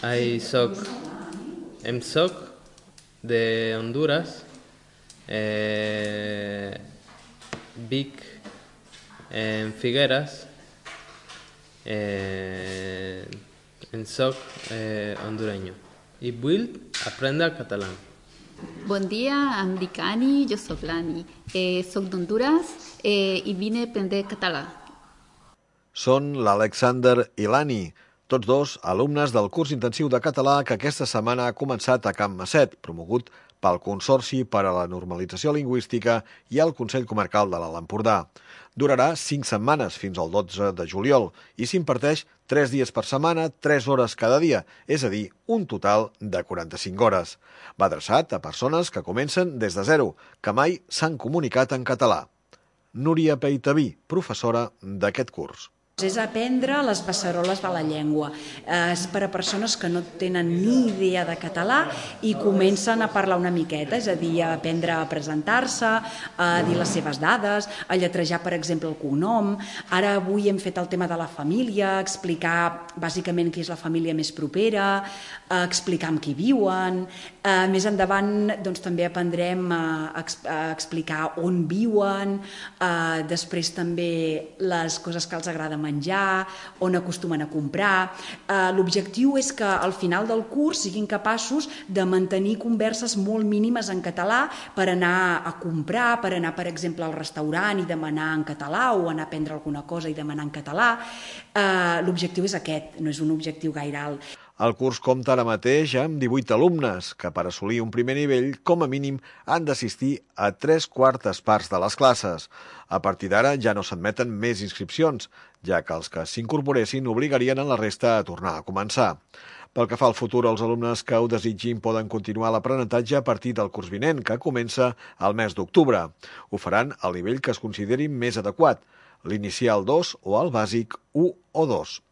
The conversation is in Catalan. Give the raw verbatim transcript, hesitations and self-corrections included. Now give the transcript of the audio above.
Ai, soc, em soc de Honduras, eh, Vic, en Figueres, eh, en soc eh, hondureño i vull aprendre català. Bon dia, em dic Ani, jo sóc l'Ani. Eh, soc d'Honduras eh, i vine a aprendre català. Són l'Alexander i l'Ani, tots dos alumnes del curs intensiu de català que aquesta setmana ha començat a Can Masset, promogut pel Consorci per a la Normalització Lingüística i el Consell Comarcal de l'Alt Empordà. Durarà cinc setmanes, fins al dotze de juliol, i s'imparteix tres dies per setmana, tres hores cada dia, és a dir, un total de quaranta-cinc hores. Va adreçat a persones que comencen des de zero, que mai s'han comunicat en català. Núria Peitaví, professora d'aquest curs. És aprendre les beceroles de la llengua. És per a persones que no tenen ni idea de català i comencen a parlar una miqueta, és a dir, a aprendre a presentar-se, a dir les seves dades, a lletrejar, per exemple, el cognom. Ara avui hem fet el tema de la família, explicar bàsicament qui és la família més propera, explicar amb qui viuen. Més endavant doncs, també aprendrem a explicar on viuen, després també les coses que els agrada menjar, menjar, on acostumen a comprar. L'objectiu és que al final del curs siguin capaços de mantenir converses molt mínimes en català per anar a comprar, per anar, per exemple, al restaurant i demanar en català o anar a prendre alguna cosa i demanar en català. L'objectiu és aquest, no és un objectiu gaire alt. El curs compta ara mateix amb divuit alumnes que per assolir un primer nivell, com a mínim, han d'assistir a tres quartes parts de les classes. A partir d'ara ja no s'admeten més inscripcions, ja que els que s'incorporessin obligarien a la resta a tornar a començar. Pel que fa al futur, els alumnes que ho desitgin poden continuar l'aprenentatge a partir del curs vinent, que comença al mes d'octubre. Ho faran al nivell que es consideri més adequat, l'inicial dos o el bàsic u o dos.